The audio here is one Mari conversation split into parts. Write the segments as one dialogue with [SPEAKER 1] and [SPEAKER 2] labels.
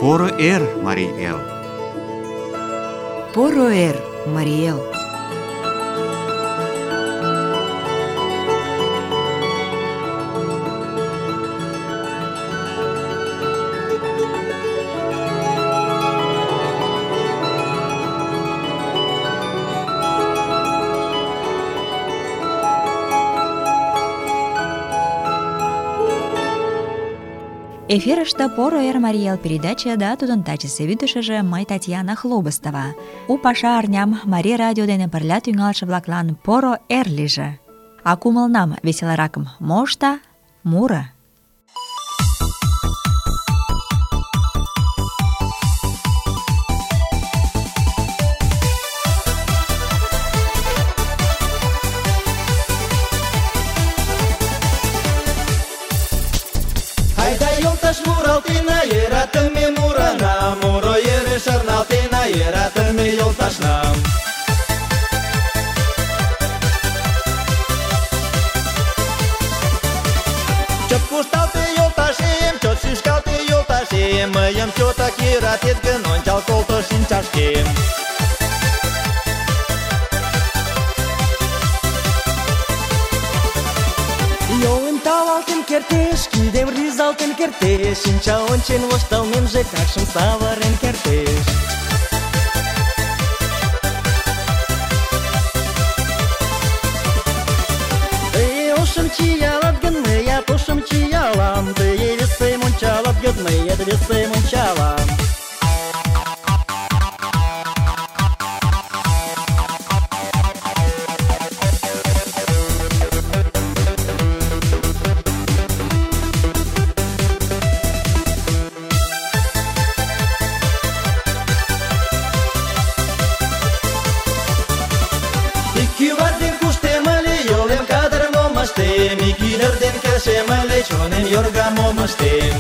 [SPEAKER 1] Поро эр, Марий эл!
[SPEAKER 2] Поро эр, Марий эл!
[SPEAKER 3] Эфирыште «Поро эр, Марий эл» передача да тудын тачысе вӱдышыжӧ мый Татьяна Хлобыстова. У паша арням Марий радио дене пырля тӱҥалше-влаклан поро эр лийже. А кумылнам веселаракым мо ышта? Муро.
[SPEAKER 4] Муралтена, йӧратыме мурына, муро йӧре шарналтена, йӧратыме йолташна. Чот кушталте, йолташем, чот шӱшкалте, йолташем, мыйым чотак йӧратет гын, ончал колто шинчашкем. Йолым тавалтен кертеш, кидем рӱзалтен кертеш, шинча ончен воштылмемже какшым савырен кертеш. Тый ошым чиялат гын, мыят ошым чиялам, тый весем ончалат гын, мыят весем ончалам. Чонем йорга мом ыштем.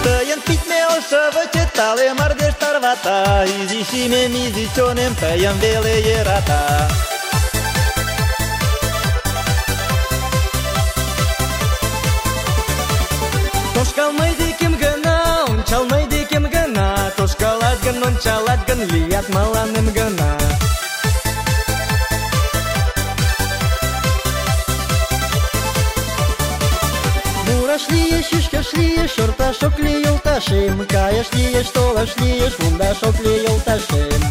[SPEAKER 4] Тыйын пидме ошывычет тале мардеж тарвата, изи шӱмем, изи чонем тыйым веле йӧрата. Тошкал мый декем гына, ончал мый декем гына, тошкалат гын, ончалат гын, лият мыланем гына. Мураш лиеш, шӱшкаш лиеш, шорташ ок лий йолташем, каяш лиеш, толаш лиеш, мондаш ок лий йолташем.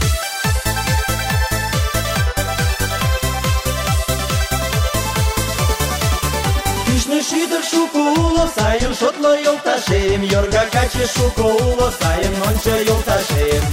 [SPEAKER 4] Кӱшнӧ шӱдыр шуко уло, сайын шотло йолташем, йорга каче шуко уло, сайын ончо йолташем.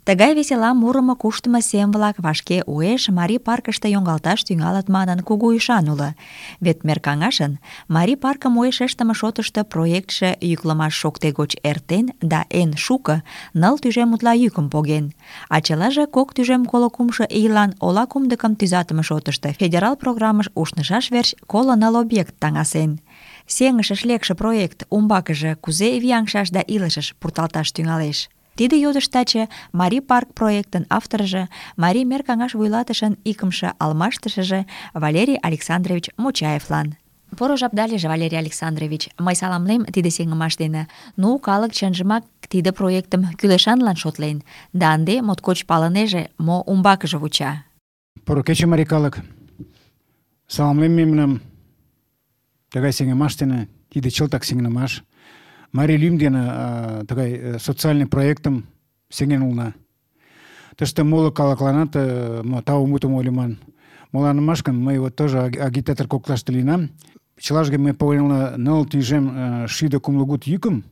[SPEAKER 3] Тыгай весела мурымо куштымо сем-влак вашке уэш Марий паркыште йоҥгалташ тӱҥалыт манын кугу ӱшан уло. Вет меркаҥашын Марий паркым уэш ыштыме шотышто проектше йӱклымаш шокте гоч эртен да эн шуко 9 тӱжем утла йӱкым поген. А чылаже 2,33 ийлан ола кумдыкым тӱзатыме шотышто федерал программыш ушнышаш верч 9 объект таҥасен. Сеҥышыш лекше проект умбакыже кузе вияҥшаш да илышыш пурталташ тӱҥалеш? Тиде йодыш таче Марий парк проектын авторжо, Марий мер каҥаш вуйлатышын икымше алмаштышыже Валерий Александрович Мочаевлан. Поро жапда лийже, Валерий Александрович. Мый саламлем тиде сеҥымаш дене. Ну, калык чынжымак тиде проектым кӱлешанлан шотлен, да ынде моткоч палынеже, мо умбакыже вуча.
[SPEAKER 5] Поро кече, марий калык. Саламлем мемнам. Тыгай сеҥымаш дене, тиде чылтак сеҥымаш. Марий лӱм дене тыгай социальный проектым сеҥен улына. Тыште моло калыкланат тау мутым ойлыман. Моланымаш гын, мый вот тоже агитатор коклаште лийынам. Чылажге мый погенылна 9,60 йӱкым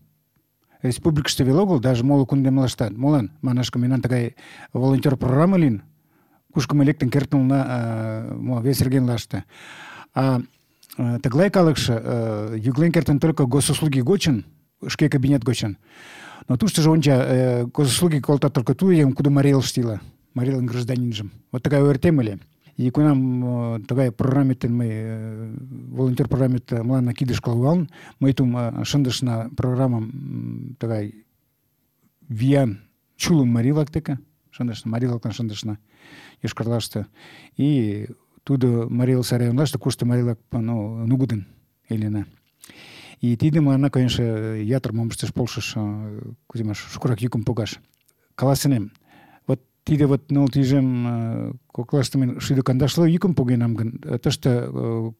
[SPEAKER 5] республикыште веле огыл, даже моло кундемлаштат. Молан? Манаш гын, мемнан тыгай волонтер программа лийын, кушко мый лектын кертын улына вес регионлаште. Тыглай калыкше йӱклен кертын только госуслуги гочын, шке кабинет гочын. Но туштыжо онча, госуслуги колтат только ту еҥым, кудо Марий Элыште ила, Марий Элын гражданинжым. Вот такая ойыртем ыле. И кунам тыгай программеттен мый волонтер программет мыланна кидышке лугалын, мый тум шындышна программам тыгай виян чулым марий-влак деке шындышна, марий-влаклан шындышна Йошкар-Олаште. И тудо Марий Эл районлаште, кушто марий-влак нугыдын илена. И тиде мыланна, конечно, ятыр мом ышташ полшыш, кузе манаш, шукырак йӱкым погаш. Каласынем, вот тиде вот ныл тӱжем коклаште мен 150 йӱкым погенам гын, тыште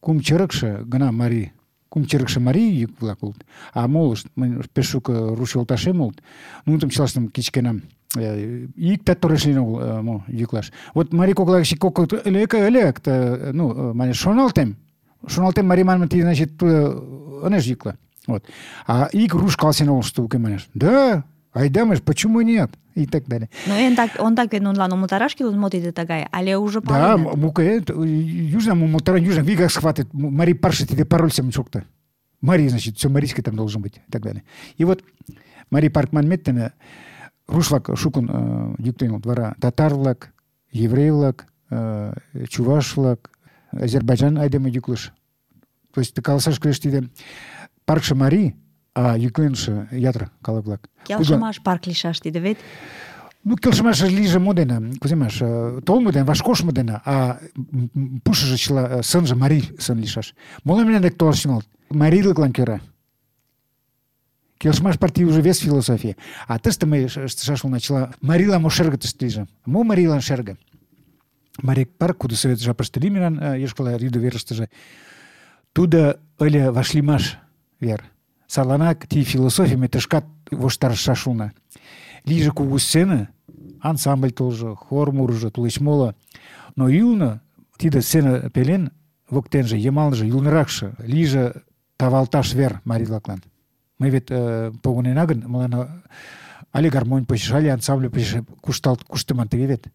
[SPEAKER 5] кум чырыкше гына марий, кум чырыкше марий йӱк-влак улыт, а молышт, мый пеш шуко руш йолташем улыт, нуным чылаштым кычкенам. Иктат торешлен огыл мо йӱклаш. Вот марий кокла гыч элек, манеш, шоналтем марий манмым, тиде, значит, ынеж йӱкла. Вот. А ик руш каласен огыл, что уке манеш. Да, айда, манеш, почему нет? И так далее.
[SPEAKER 3] Но ондак вет нунылан умылтараш кӱлеш, мо тиде тыгай, але уже
[SPEAKER 5] Да,
[SPEAKER 3] паленыт?
[SPEAKER 5] муке, южнам умылтарен, южнам вигак схватит. Марий парше тиде пароль сам шокта. Марий, значит, все марийский там должен быть, и так далее. И вот марий парк манметтен руш-влак шукын йӱктен, вара татар-влак, еврей-влак, чуваш-влак, Азербайджан айдеме йӱклыш. То есть каласаш кӱлеш, тиде паркше марий, а йӱкленше ятыр калык-влак.
[SPEAKER 3] Келшымаш парк лийшаш тиде вет.
[SPEAKER 5] Ну, келшымаш лийже мо дене, кузе манаш, толмо дене, вашкошмо дене, а пушыжо чыла сынже марий сын лийшаш. Моло менен дек толаш тӱҥалыт. Марийлыклан кӧра. Келшымаш партий уже вес философия. А тыште мый ыштышаш улына чыла марийлан мо шерге тыште лийже. Мо марийлан шерге? Марий парк, кудо совет жапыште лиймемлан Йошкар-Ола рӱдӧ верыштыже, тудо ыле вашлиймаш вер. Садланак ти философий ме тышкат воштарышаш улына. Лийже кугу сцена, ансамбль толжо, хор мурыжо, тулеч моло. Но ӱлнӧ, тиде сцена пелен, воктенже, йымалныже, ӱлныракше лийже тавалташ вер марий-влаклан. Мый вет погынена гын, мыланна але гармонь почеш, але ансамбль почеш куштыман тыге вет.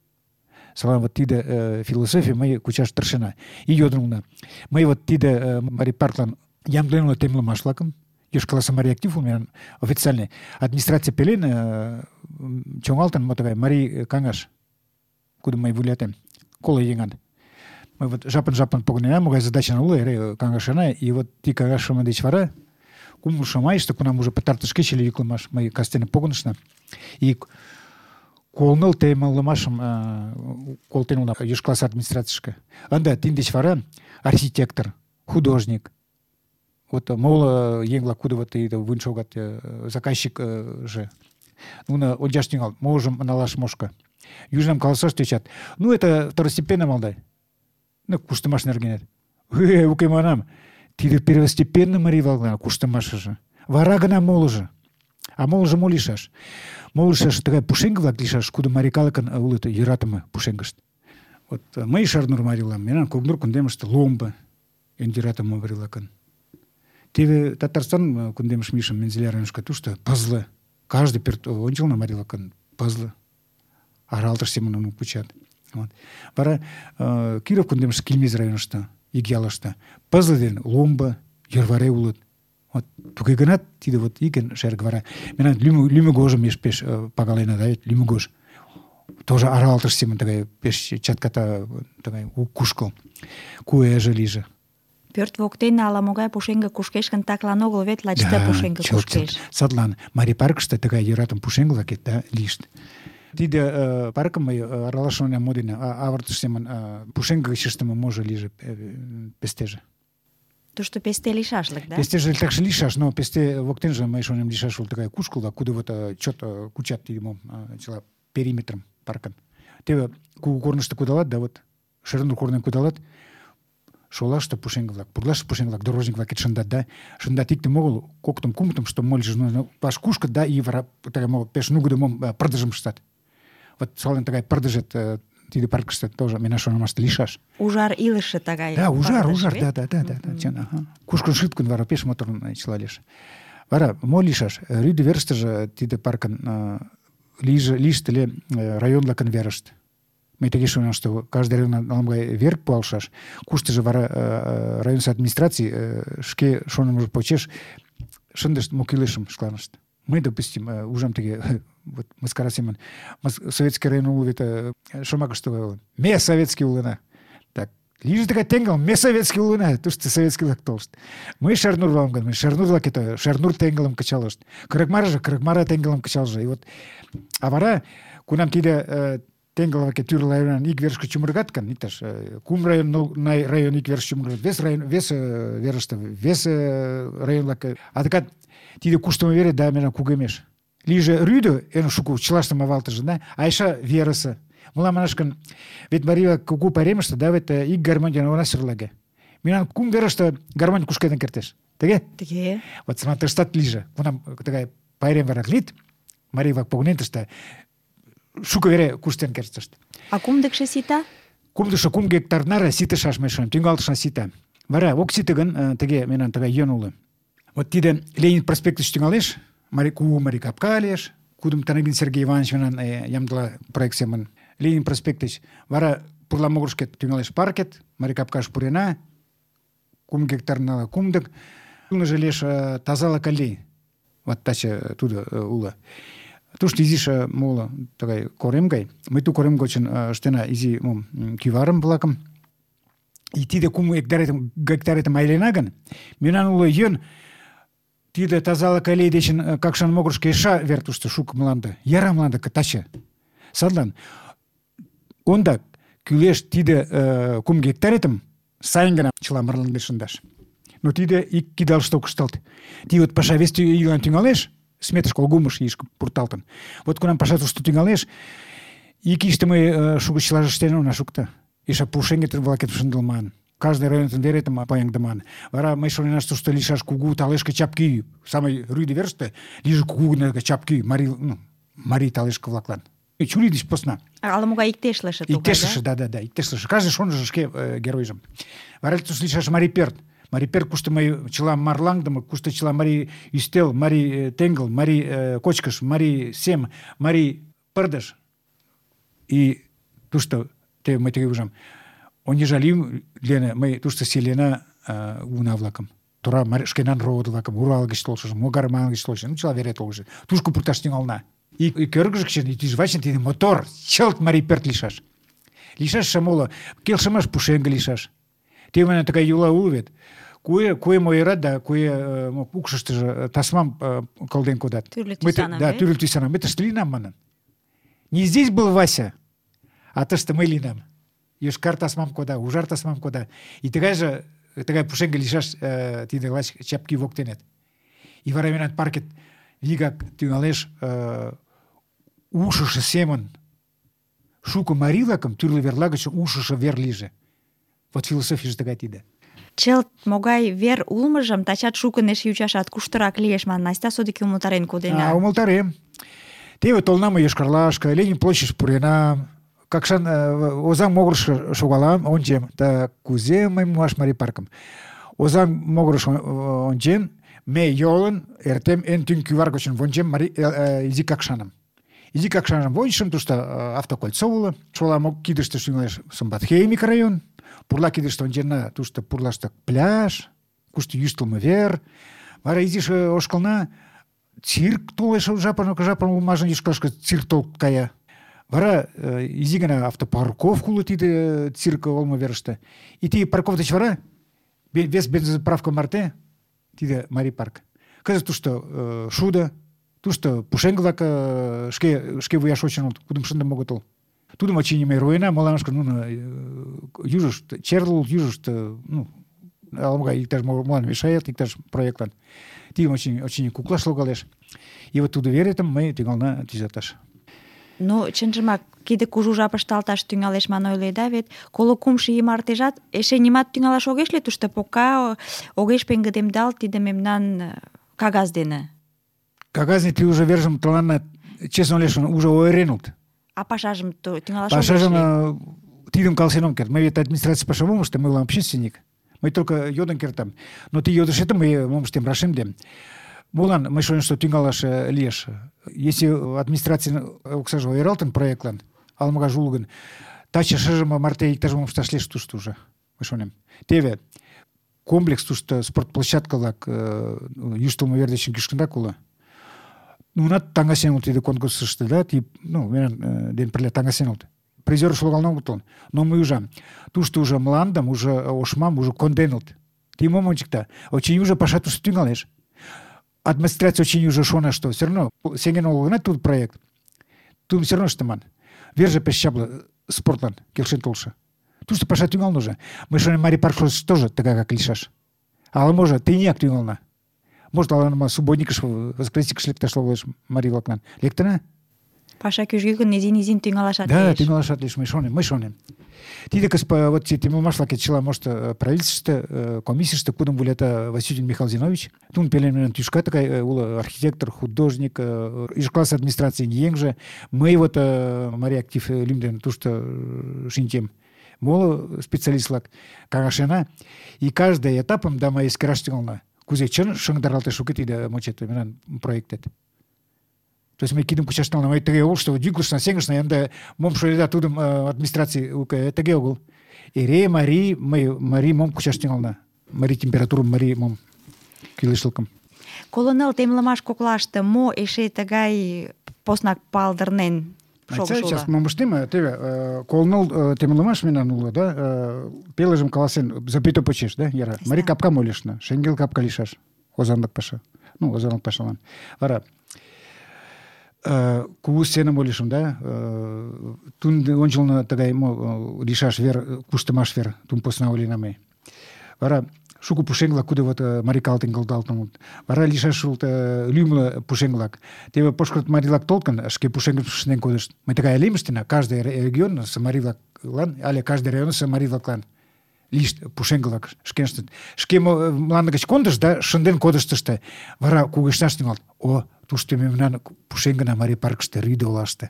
[SPEAKER 5] Садлан вот тиде философий мый кучаш тыршена. И йодын улына. Мый вот тиде марий парклан ямдылен улына темлымаш-влакым, Йошкар-Оласе марий актив улмем официальный. Администрация пелен чоҥалтын мо тыгай марий каҥаш, кудым мый вуйлатем, коло еҥан. Мый вот жапын погынена, могай задача уло эре каҥашена, и вот ти каҥашыме деч вара кумло майыште, кунам уже пытартыш кече ыле йӱклымаш, мый кастене погынышна, и колныл темлымашым колтен улына Йошкар-Оласе администрацийышке. Ынде тидын деч вара архитектор, художник, вот моло еҥ-влак, кудо вот вуйын шогат, заказчик же, нуно ончаш тӱҥалыт, можым налаш мошко. Южнам каласаш тӧчат. Ну, это второстепенно, малдай. Ну, куштымаш нергенет. Уке манам, тиде первостепенно марий-влаклан куштымашыже. Вара гына молыжо. А молыжо мо лийшаш? Мо лийшаш тыгай пушеҥге-влак лийшаш, кудо марий калыкын улыт йӧратыме пушеҥгышт. Вот мый Шарнур марий улам, мемнан Когнур кундемыште ломбо эн йӧратыме марий-влакын. Теве Татарстан кундемыш мийышым, Мензелия районышко, тушто пызле. Каждый пӧрт ончылно марий-влакын пызле. Аралтыш семын нуным кучат. Вот. Вара Киров кундемыш Килмез районышто, Ик-ялыште пызле ден ломбо, йӧрварей улыт. Вот туге гынат, тиде вот икен шерге вара. Мемнан лӱмегожым пеш пагалена, да вет лӱмегож. Тоже аралтыш семын тыгай пеш чатката тыгай кушкыл. Куэже лийже.
[SPEAKER 3] Пӧрт воктене ала-могай пушеҥге кушкеш гын, таклан огыл вет, лач ты пушеҥге кушкеш.
[SPEAKER 5] Садлан марий паркыште тыгай йӧратыме пушеҥге-влак лийышт. Тиде паркым мый аралаш шонем мо дене, авыртыш семын пушеҥге гыч ыштыме можо лийже пестеже.
[SPEAKER 3] Тушто песте лийшашлык, да?
[SPEAKER 5] Пестеже такше лийшаш, но песте воктенже мый шонем лийшаш ул тыгай кушкыл-влак, кудо вот чот кучат тиде мом чыла периметрым паркын. Теве кугу корнышто кудалат, да вот Шернур корнын кудалат, шолаште пушеҥге-влак, пурлаште пушеҥге-влак, дорожник-влак шындат, да, шындат иктым огыл, коктым, кумытым, что мольыжо паш кушкыт, да, и вара тыгай пеш нугыдо мом пырдыжым ыштат. Вот сален тыгай пырдыжет тиде паркыште тоже мемнан шонымаште лийшаш.
[SPEAKER 3] Ужар илыше тыгай.
[SPEAKER 5] Да, ужар, да, чын, кушкын шыт гын, вара пеш моторын чыла лиеш. Вара мо лийшаш? Рӱдӧ верыштыже тиде паркын лийышт ыле район-влакын верышт. Мый тыге шонем, что каждый район ала-могай вер пуалшаш, куштыжо вара районысо администраций шке шонымыжо почеш шындышт мо кӱлешым шкаланышт. Мый, допустим, ужам тыге вот мыскара семын, советский район уло вет шомакыште ойлен. Ме советский улына. Да, Лиже тыгай теҥгыл, ме советский улына, тушто советский-влак толышт. Мый Шернур улам гын, мый Шернур-влак Шернур теҥгылым кычалышт. Кырыкмара теҥгылым кычалже. И вот, а вара, кунам тиде теҥгыл-влак тӱрлӧ районан ик верышке чумыргат гын, иктаж кум район ик верыш чумыргат, вес верыште, вес район-влак, адакат тиде куштымо вере да мемнан кугемеш. Лиже рӱдӧ эн шуко чылаштым авалтыже, да, а эше верысе. Мылам манаш гын, вет марий кугу пайремыште, да, вет ик гармонь дене она сӧрлаге. Мемнан кум верыште гармонь кушкедын кертеш. Тыге?
[SPEAKER 3] Тыге.
[SPEAKER 5] Вот сама тыштат лиже. Кунам тыгай пайрем варак лийыт, марий-влак погынен шуко вере куштен кертышт.
[SPEAKER 3] А кумдыкшо сита?
[SPEAKER 5] Кумдыкшо 2 гектар наре ситышаш мый шонем, тӱҥалтышна сита. Вара ок сите гын, тыге мемнан тыгай йӧн уло. Вот тиде Ленин проспектыш тӱҥалеш, кугу марий капка лиеш, кудым Танагин Сергей Иванович мемнан ямдыла проект семын Ленин проспектыш. Вара пурла могырышкет тӱҥалеш паркет, марий капкаш пурена, 2 гектар нала кумдык. Ӱлныжӧ лиеш тазалык аллей. Вот таче тудо уло. Тушто изиш моло тыгай корем гай. Мый ту корем гочын ыштена изи кӱварым-влакым. И тиде 2 гектаретым айлена гын, мемнан уло йӧн тиде тазалык аллей дечын Какшан могырышко эше вер тушто шуко мланде, яра мланде таче. Садлан ондак кӱлеш тиде 2 гектаретым сайын гына чыла марланде шындаш. Но тиде ик кидалыште ок ышталт. Тиде вот паша вес ийлан тӱҥалеш, сметыш колгумыш ийышке пурталтын. Вот кунам паша тушто тӱҥалеш, ик ийыште мый шуко чылаже ыштен она шукто. Эше пушеҥге-влакет шындылман. Каждый районын веретым паяҥдыман. Вара мый шоненам, тушто лийшаш кугу талешке чапкӱ. Самый рӱдӧ верыште лийже кугу чапкӱ марий талешке-влаклан. Чурий деч посна.
[SPEAKER 3] Ала-могай иктешлыше тугай,
[SPEAKER 5] иктешлыше, да, иктешлыше. Каждый шоныжо шке геройжым. Вара тушто лийшаш марий пӧрт. Марий пӧрт, кушто мый чыла марлаҥдыме, кушто чыла марий ӱстел, марий теҥгыл, марий кочкыш, марий сем, марий пырдыж. И тушто те мый тыге ужам. Онежа лийын Лена, мый тушто селена уна-влакым. Тура шкенан родо-влакым, Урал гыч толшыжым, Могарман гыч толшыжым, чыла вере толшыжо. Тушко пурташ тӱҥална. И кӧргыжӧ гыч тӱжвачын тиде мотор, чылт марий пӧрт лийшаш. Лийшаш моло, келшымаш пушеҥге лийшаш. Те менен тыгай йӱла уло вет. Куэ мойырат да куэ укшыштыжо тасмам кылден кодат.
[SPEAKER 3] Тӱрлӧ тӱсаным,
[SPEAKER 5] да, тӱрлӧ тӱсаным. Мый тыште лийынам манын. Не здесь был Вася, а тыште мый лийынам. Йошкар тасмам кода, ужар тасмам кода. И тыгай пушеҥге лийшаш тиде лач чапкӱ воктенет. И вара мемнан паркет вигак тӱҥалеш ушышо семын шуко марий-влакым тӱрлӧ верла гыч ушышо вер лийже. Вот философийже тыгай тиде.
[SPEAKER 3] Чылт могай вер улмыжым тачат шукын эше ӱчашат, куштырак лиеш манын, Настя содыки умылтарен кодена.
[SPEAKER 5] Умылтарем. Теве толна мый Йошкар-Олашке, Ленин площадьыш пурена, Какшан Озаҥ могырыш шогалам, ончем. Да кузе мый муаш марий паркым? Озаҥ могырыш ончен, ме йолын эртем эн тӱҥ кӱвар гычын вончем изи Какшаным. Изи Какшаным вончышым, тушто автокольцо уло, шола кидыште тӱҥалеш Сымбатхей микрорайон. Пурла кидыште ончена, тушто пурлаште пляж, кушто йӱштылмӧ вер. Вара изиш ошкылна, цирк толеш жапын улмажын Йошкар-Олашке цирк толып кая. Вара изи гына автопарковка уло тиде цирк олмо верыште. И тиде парков деч вара вес бензоправка марте тиде марий парк. Кызыт тушто шудо, тушто пушеҥге-влак шке вуяш шочын улыт, кудым шындыме огытыл. Тудым очыни мый руэна, моланышко нуно южышт черлыл, южышт ала-могай иктаж молан мешает, иктаж проектлан. Тидым очыни куклаш логалеш. И вот тудо веретым мый тӱҥална тӱзаташ.
[SPEAKER 3] Ну, чынжымак, тиде кужу жапыште алташ тӱҥалеш манын ойледа вет, 33 ий мартежат эше нимат тӱҥалаш огеш лий тушто, пока огеш пеҥгыдемдалт тиде мемнан кагаз дене.
[SPEAKER 5] Кагаз ты уже вержым тыланна, честно лешын, уже ойыренылт.
[SPEAKER 3] А пашажым тӱҥалаш огеш лий?
[SPEAKER 5] Пашажым тидым каласен ом керт. Мый вет администраций пашам ом ыште, мый улам общественник. Мый только йодын кертам. Но ты йодышетым мый мом ыштем, рашемдем. Молан мый шонем, что тӱҥалаш лиеш. Если администрацийын оксаже ойыралтын проектлан, ала-могай уло гын, таче шыжым марте иктаж-мом ышташ лиеш тушто уже, мый шонем. Теве комплекс тушто спортплощадка-влак йӱштылмӧ вер дечын кӱшкынрак уло. Нунат таҥасен улыт тиде конкурсышто, да, мемнан дене пырля таҥасен улыт. призёр логалын огытыл. Но мый ужам, тушто уже мландым, уже ошмам уже конденылт. Ти мом ончыкта? Очыни уже паша тушто тӱҥалеш. Администрация очыни уже шона, что все равно сеҥен огыл гынат тудо проект. Тудым все равно ыштыман. Верже пеш чапле спортлан келшен толшо. Тушто паша тӱҥалын уже. Мый шонем, Марий паркыш тоже тыгакак лийшаш. Ала-можо тыйынак тӱҥалына. Может, ала субботникыш, воскресеньыш лекташ логалеш марий-влаклан. Лектына?
[SPEAKER 3] Паша кӱжгӧ гын изин-изин тӱҥалашат
[SPEAKER 5] Да,
[SPEAKER 3] лиеш.
[SPEAKER 5] тӱҥалашат лиеш, мый шонем. Тиде вот темамашлаке чыла может правительствыште, комиссийыште кудым вуйлата Васютин Михаил Зинович. Тун пеленмен тӱшка тыгай уло архитектор, художник, иш класс администрацийын еҥже. Мый вот Марий актив лӱм тушто шинчем. Моло специалист-влак каҥашена. И каждый этапым да мый эскераш тӱҥална. Кузе чын шыҥдаралтеш уке тиде мочет мемнан проектет. То есть мый кидым кучаш тӱҥална. Мый тыге огыл, что йӱклышна, сеҥышна, ынде мом шойда тудым администраций уке, тыге огыл. Эре марий мом кучаш тӱҥална. Марий температурым, марий мом кӱлешлыкым.
[SPEAKER 3] Коло 9 темлымаш коклаште мо эше тыгай поснак палдырнен шогышо уло?
[SPEAKER 5] Сейчас мом ыштем, теве коло 9 темлымаш мемнан уло, да, пелыжым каласен, запито почеш, да, яра. Марий капкам ойлышна, шеҥгел капка лийшаш. Озанлык паша. Озанлык пашалан. Вара кугу сценым ойлышым, да, тун ончылно тыгай лийшаш вер, куштымаш вер, тун посна ойлена ме. Вара шуко пушеҥ-влак, куде вот марий калытым кылдалтыныт. Вара лийшаш лӱмлӧ пушеҥ-влак. Теве пошкырт марий-влак толыт гын, шке пушеҥгым шынден кодышт. Мый тыгай илем ыштена, каждый регионысо марий-влаклан але каждый районысо марий-влаклан лийышт пушеҥгылак шкеныштын. Шке мланде гыч кондышт да шынден кодыштышт. Вара кугешнаш тӱҥалыт. О, тушто мемнан пушеҥгына Марий паркыште, Рӱдӧ олаште.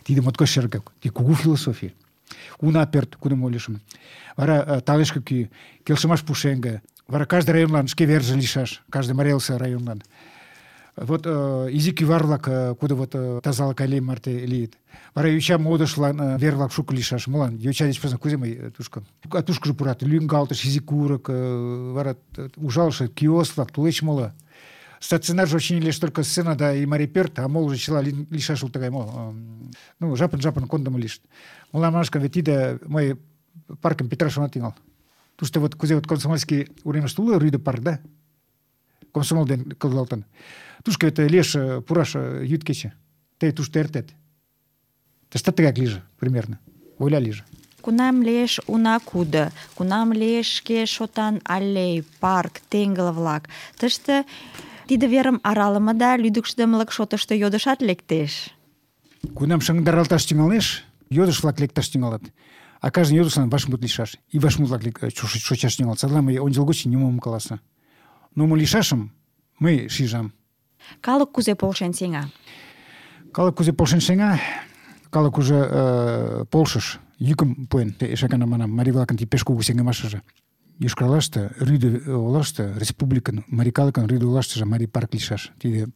[SPEAKER 5] Тиде моткоч шергак, тиде кугу философий. Уна пӧрт, кудым ойлышым. Вара талешке кӱ, келшымаш пушеҥге. Вара каждый районлан шке верже лийшаш, каждый Марелысе районлан. Вот изи кӱвар-влак, кудо вот тазалык аллей марте лийыт. Вара йоча модышлан вер-влак шуко лийшаш. Молан? Йоча деч посна кузе мый тушко? Тушкыжо пурат, лӱҥгалтыш, изи курык, вара ужалыше киоск-влак, тулеч моло. Стационарже очыни лиеш только сцена да и марий пӧрт, а молыжо чыла лийшаш уло тыгай мо. Жапын кондымо лийышт. Молан манашка, вет тиде мый паркым петыраш она тӱҥал. Тушто вот кузе вот Комсомольский уремыште уло Рӱдӧ парк, да? Комсомол ден кылдалтын. Тушко вет лиеш пураш йӱд кече. Тый тушто эртет. Тыштат тыгак лийже, примерно. Ойла лийже.
[SPEAKER 3] Кунам лиеш уна кудо, кунам лиеш шке шотан аллей, парк, теҥгыл-влак. Тыште тиде верым аралыме да лӱдыкшыдымылык шотышто йодышат лектеш.
[SPEAKER 5] Кунам шыҥдаралташ тӱҥалеш, йодыш-влак лекташ тӱҥалыт. А каждый йодышлан вашмут лийшаш. И вашмут-влак шочаш тӱҥалыт. Садлан мый ончылгоч нимом ом каласе. Но мо лийшашым мый шижам.
[SPEAKER 3] Калык кузе полшен сеҥа?
[SPEAKER 5] Калык кузе полшен сеҥа? Калык уже полшыш, йӱкым пуэн. Эше гана манам, марий-влакын пеш кугу сеҥымашыже. Йошкар-Олаште, Рӱдӧ олаште, республикын, марий калыкын Рӱдӧ олаштыже марий парк лийшаш. Тиде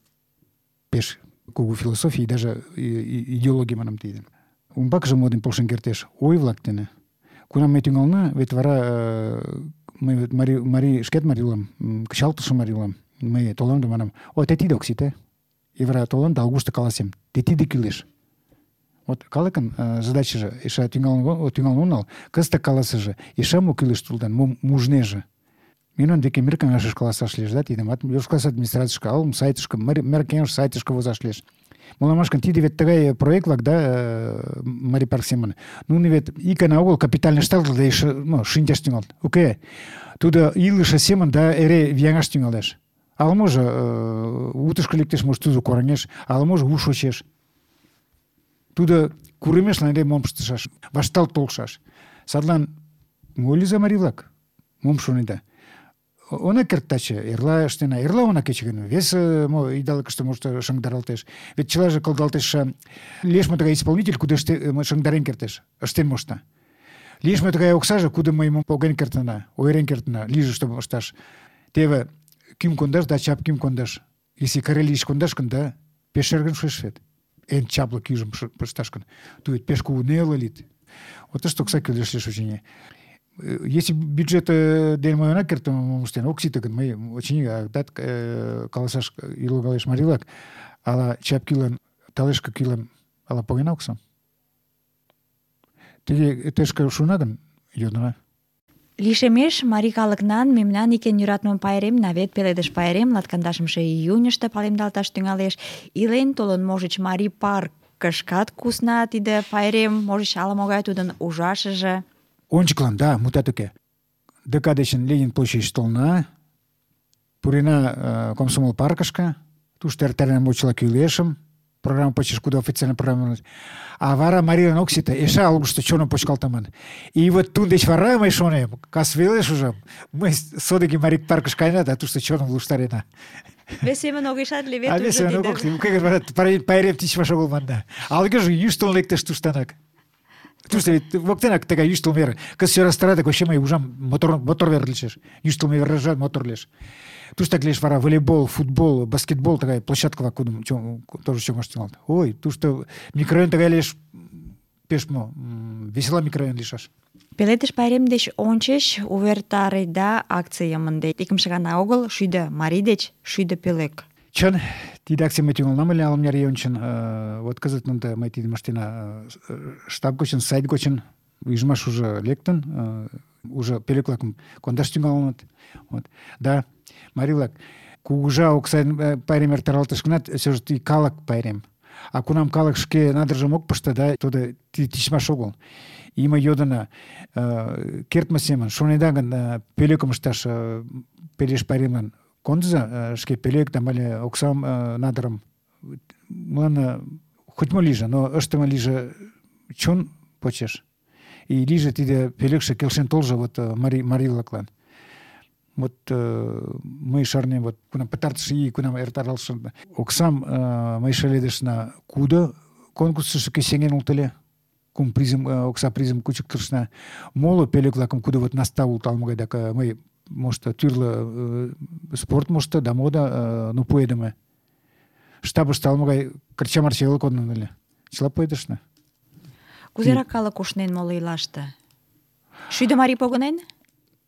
[SPEAKER 5] пеш кугу философий, даже идеология манам тиде. Умбакыже мо дене полшен кертеш? Ой-влак дене. Кунам ме тӱҥална, вет вара мый марий шкет марий улам, кычалтыше марий улам. Мый толам да манам: ой, те тиде ок сите. И вара толам да алгушто каласем: те тиде кӱлеш. Вот калыкын задачыже эше тӱҥалын онал, кызытак каласыже: эше мо кӱлеш тулдан, мом мужнеже. Мемнан деке мир каҥашыш каласаш лиеш, да, тидым Йошкар администрацийышке, алым сайтышке, мер кеҥеж сайтышке возаш лиеш. Молан манаш гын, тиде вет тыгай проект-влак, да, марий парк семын. Нуно вет ик гана огыл капитальный ышталтыт да эше шинчаш тӱҥалыт. Уке, тудо илыше семын да эре вияҥаш тӱҥалеш. Ала-можо утышко лектеш, может, тудо кораҥеш, ала-можо у шочеш. Тудо курымешлан эре мом ыштышаш, вашталт толшаш. Садлан мо лийза марий-влак? Мом шонеда? Она керт таче, эрла ыштена, эрла она кече гын, вес идалыкыште, может, шыҥдаралтеш. Вет чылаже кылдалтеш. Лиеш мо тыгай исполнитель, кудо шыҥдарен кертеш, ыштен мошта. Лиеш мо тыгай оксаже, кудо мый поген кертына, ойырен кертына, лийже, чтобы ышташ. Теве кӱм кондаш да чап кӱм кондаш. Если Карелийыш кондаш гын, да, пеш шергын шуэш вет. Эн чапле кӱжым пышташ гын. Ту вет пеш кугу неле лийыт. Вот тыште окса кӱлеш лиеш, очыни. Если бюджет дене мый она кертым мом ыштен ок сите гын, мый очыни адак каласаш логалеш марий-влак, ала чап кӱлан, талешке кӱлан ала погена оксам. Тыге тышке шуна гын, йодына.
[SPEAKER 3] Лишемеш марий калыкнан мемнан ик эн йӧратыме пайремна вет пеледыш пайрем 20 июньышто палемдалташ тӱҥалеш. Илен толын, можыч, Марий паркышкат кусна тиде пайрем, можыч, ала-могай тудын ужашыже.
[SPEAKER 5] Ончыклан, да, мутат уке. ДК дечын Ленин площадьыш толна, пурена Комсомол паркышке, тушто эртарена мочыла кӱлешым, программа почеш, куда официально программа. А вара Марилан ок сите, эше алгышто чоным почкалтыман. И вот тудын деч вара мый шонем, кас велеш уже, мый содыки Марий паркыш каена, да тушто чоным луштарена.
[SPEAKER 3] Вес семын огешат лий вет
[SPEAKER 5] А вес семын ок лий, пайрем тичмаш огыл манда. Алгыже йӱштыл лектеш туштанак. Тушто вет воктенак тыгай йӱштыл вер. Кыз сӧрастарат, вообще мый ужам, мотор вер лечеш. Йӱштылмӧ вержат мотор леш. Туштак лиеш вара волейбол, футбол, баскетбол тыгай площадкала кудым тоже чоҥаш тӱҥалыт. Ой, тушто микрорайон тыгай лиеш, пеш весела микрорайон лийшаш.
[SPEAKER 3] Пеледыш пайрем деч ончыч увертареда акцийым ынде. Икымше гана огыл, 7 марий деч 7 пӧлек.
[SPEAKER 5] Чын, тиде акцийым мый тӱҥалынам ыле ала-мыняр ий ончын. Вот кызыт ынде мый тидым ыштена штаб гочын, сайт гочын. Ӱжмаш уже лектын, уже пӧлек-влакым кондаш тӱҥалыныт. Вот. Да, марий-влак, кугыжа оксайын пайрем эртаралтыш гынат, все же калык пайрем. А кунам калык шке надыржым ок пыште, да, тудо тичмаш огыл. И мый йодына, кертме семын шонеда гын, пӧлекым ышташ пеледыш пайремлан кондыза шке пӧлек да але оксам, надырым. Мыланна хоть-мо лийже, но ыштыме лийже чон почеш. И лийже тиде пӧлекше келшен толжо вот марий-влаклан. Вот мый шарнем, вот кунам пытартыш ий, кунам эртаралтше оксам мый шеледышна кудо конкурсышке сеҥен улыт ыле. Кум призым, окса призым кучыктышна. Моло пӧлек-влакым кудо вот наста улыт ала-могай, да мый мошто тӱрлӧ спорт мошто да мода пуэдыме. Штабыште ала-могай кырча-марча веле кодын ыле. Чыла пуэдышна.
[SPEAKER 3] Кузерак калык ушнен моло ийлаште? 7 марий погынен?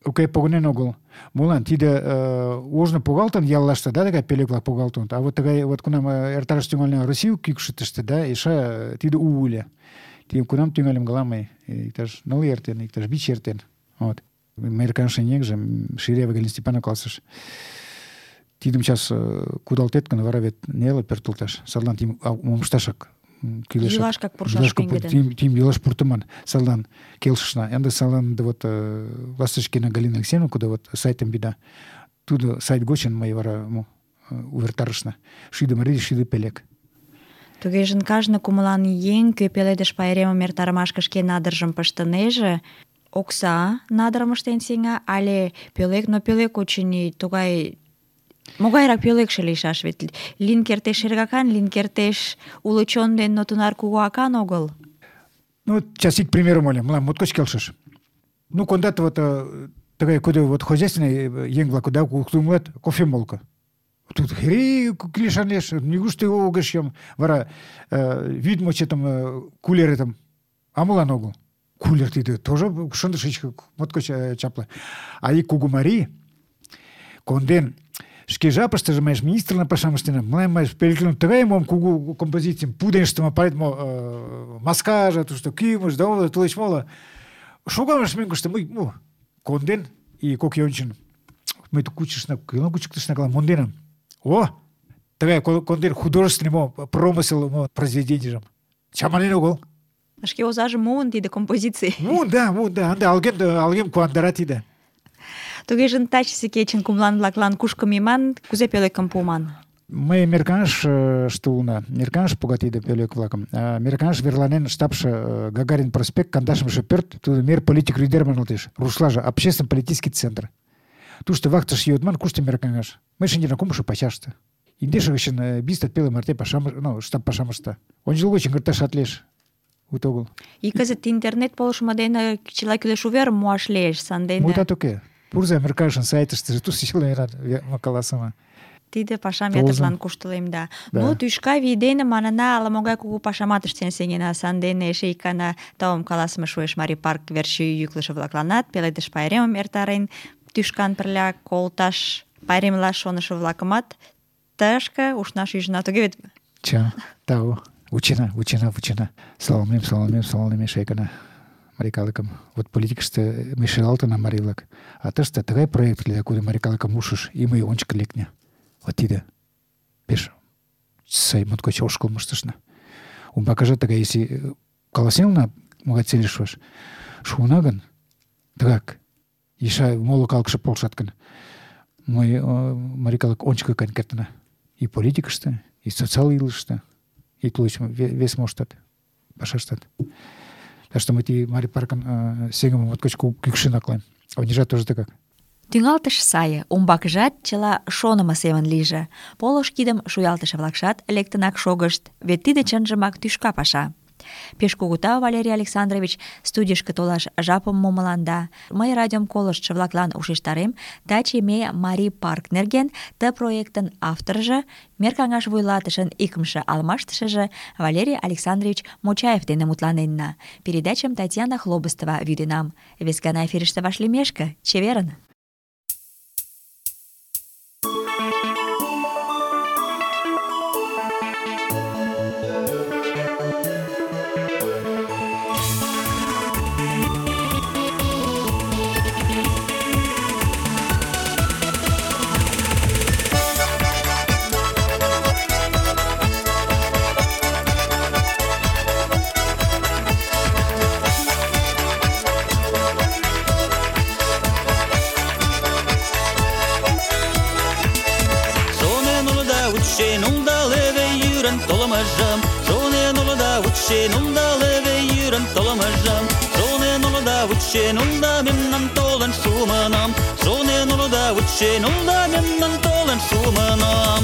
[SPEAKER 5] Уке, погынен огыл. Молан тиде ожно погалтын яллаште, да, тыгай пӧлек-влак погалтыныт. А вот тыгай вот кунам эртараш тӱҥална Россию кӱкшытыштӧ, да, эше тиде у ыле. Тидым кунам тӱҥальым гала мый, иктаж 9 ий эртен, иктаж 5 ий эртен. Вот. Американский еҥже Ширяева Галина Степановна каласыш. Тидым час кудалтет гын, вара вет неле пӧртылташ. Садлан тидым мом ышташак кӱлешак.
[SPEAKER 3] Йӱлашкак пурышаш пеҥгыдын.
[SPEAKER 5] Тидым йӱлаш пуртыман. Садлан келшышна. Ынде садлан вот Ласточкина Галина Алексеевна, куда вот сайтым бида, тудо сайт гочын мый вара увертарышна. 7 марий, 7 пӧлек.
[SPEAKER 3] Тугежын кажне кумылан еҥ, кӧ пеледыш пайремым эртарымашке шке надыржым пыштынеже, окса надырым ыштен сеҥа, але пӧлек, но пӧлек, очыни, тугай могайрак пӧлекше лийшаш, вет лийын кертеш шергакан, лийын кертеш уло чон ден, но тунар кугу акан огыл.
[SPEAKER 5] Ну, сейчас ик примерым ойлем, мылам моткоч келшыш. Ну, кондат вот тыгай кудо вот хозяйственный еҥ-влак, да, куктумлат кофемолко. Тут килешан лиеш, нигушто огеш йом. Вара вӱд там кулеретым, а молан огыл. Кулер тиде тоже шындыш моткоч чапле. А ик кугу марий конден шке жапыштыже министрлан пашам ыштенам. Мылам пӧлеклан тыгай мом кугу композицийым пуден ыштыме, палет маскаже, тушто кӱмыж да тулеч моло. Шогалеш мӧҥгыштӧ, мый конден и кок ий ончен. Мый кучышна, кӧлан кучыктышна, монденам. О, тыгай конден художественный промысел произведенийжым. Чаманен огыл.
[SPEAKER 3] Шке озажым муын тиде композиций.
[SPEAKER 5] Муын, да. Ынде алгем куандара тиде.
[SPEAKER 3] Тугежын тачысе кечын кумлан-влаклан кушко мийман, кузе пӧлекым пуыман?
[SPEAKER 5] Мый Мерканыште улына. Мерканыш пога тиде пӧлек-влакым. Мерканыш верланен штабше Гагарин проспект, 20-ше пӧрт, тудо мер политик рӱдер манылтеш. Рушлаже общественно-политический центр. Тушто вахтыш йодман, кушто Мерканыш. Мый шинчена 3-шо пачаште. Индеше гычын 20 пеле марте штаб пашам ышта. Ончыл гочын кырташат лиеш. Ут огыл.
[SPEAKER 3] И кызыт интернет полышмо дене чыла кӱлеш уверым муаш лиеш, сандене.
[SPEAKER 5] Мутат уке. Пурза Мерканышын сайтыштыже тушто чыла каласыме.
[SPEAKER 3] Тиде пашам ятырлан куштылемда. Ну, тӱшка вий дене манына ала-могай кугу пашамат ыштен сеҥена. Сандене эше ик гана таум каласыме шуэш Марий парк верч йӱклышӧ-влакланат, пеледыш пайремым эртарен, тӱшкан пырля колташ пайремлаш шонышо-влакымат тышке ушнаш ӱжына. Туге вет?
[SPEAKER 5] Ча, тау. Вучена. Саламлем эше ик гана. марий калыкым. Вот политикыште мый шелалтына марийлак. А тыште тыгай проект лиеда, куды марий калыкым ушыш, и мый ончыко лекне. Вот тиде пеш сай моткоч ошкылмыштышна. Умбакыжат тыгай, если каласенна могай цельыш шуаш, шуына гын, тыгак, иша моло калыкше полшат гын, мый марий калык ончыко каен кертына. И политикыште, и социал илыште, и тулыч вес моштат, пашаштат. Так что мы ти марий паркын сеҥымым моткоч кӱкшын аклайм. Онежат тоже тыгак.
[SPEAKER 3] Тӱҥалтыш сае, умбакыжат чыла шонымо семын лийже. Полыш кидым шуялтыше-влакшат лектынак шогышт, вет тиде чынжымак тӱшка паша. Пеш кугу тау, Валерий Александрович, студийышке толаш жапым мумыланда. Мый радиом колыштшо-влаклан ушештарем, таче ме Марий парк нерген ты проектын авторжо, мер каҥаш вуйлатышын икымше алмаштышыже Валерий Александрович Мочаев дене мутланенна. Передачым Татьяна Хлобыстова вӱденам. Вес гана эфирыште вашлиймешке, чеверын!
[SPEAKER 4] Шонен улыда вучен улда мемнан толын шумынам. Шонен улыда вучен улда мемнан толын шумынам.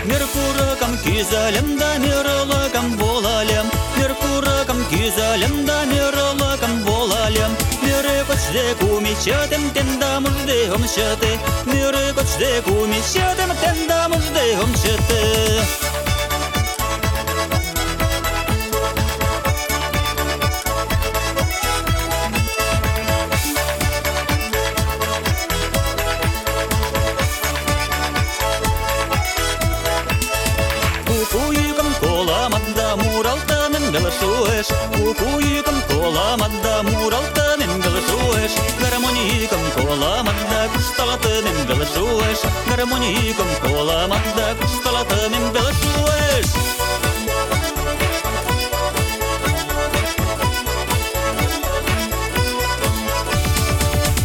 [SPEAKER 4] Меркуракам кизалем да мерлакам болалем. Меркуракам кизалем да мерлакам болалем. Мере кочде кумичатем тенда мужде омчате. Мере кочде кумичатем тенда мужде омчате. Кукуйкам коламадда муралтамен галашуэш. Гармонийкам коламадда кушталатамен галашуэш. Гармонийкам коламадда кушталатамен галашуэш.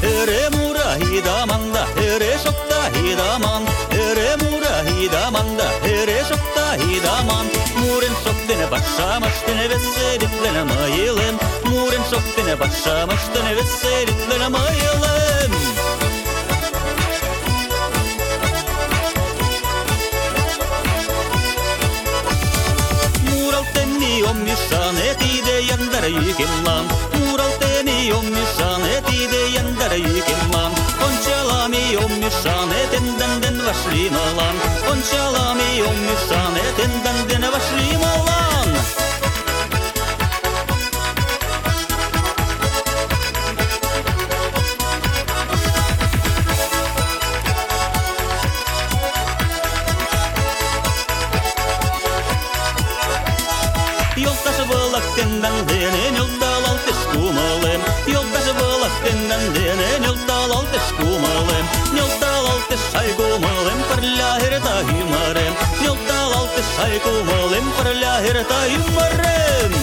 [SPEAKER 4] Эре мура хидаманда, эре шокта хидаман. Эре мура хидаманда, эре шокта хидаман. Мурен шоктене башамаштене веселитлene майылем. Мурен шоктене башамаштене веселитлene майылем. Муралтени оммишане тиде яндар юкемлан. Муралтени оммишане тиде яндар юкемлан. Ончалами оммишане тенден вашлималан. Ончалами оммишане тенден вашлималан. Yoldaşı bulak tenden denen yolda altış kumalım. Yoldaşı bulak tenden denen yolda altış kumalım. Yolda altış ay kumalım parla herda yumarım. Yolda altış ay kumalım parla herda yumarım.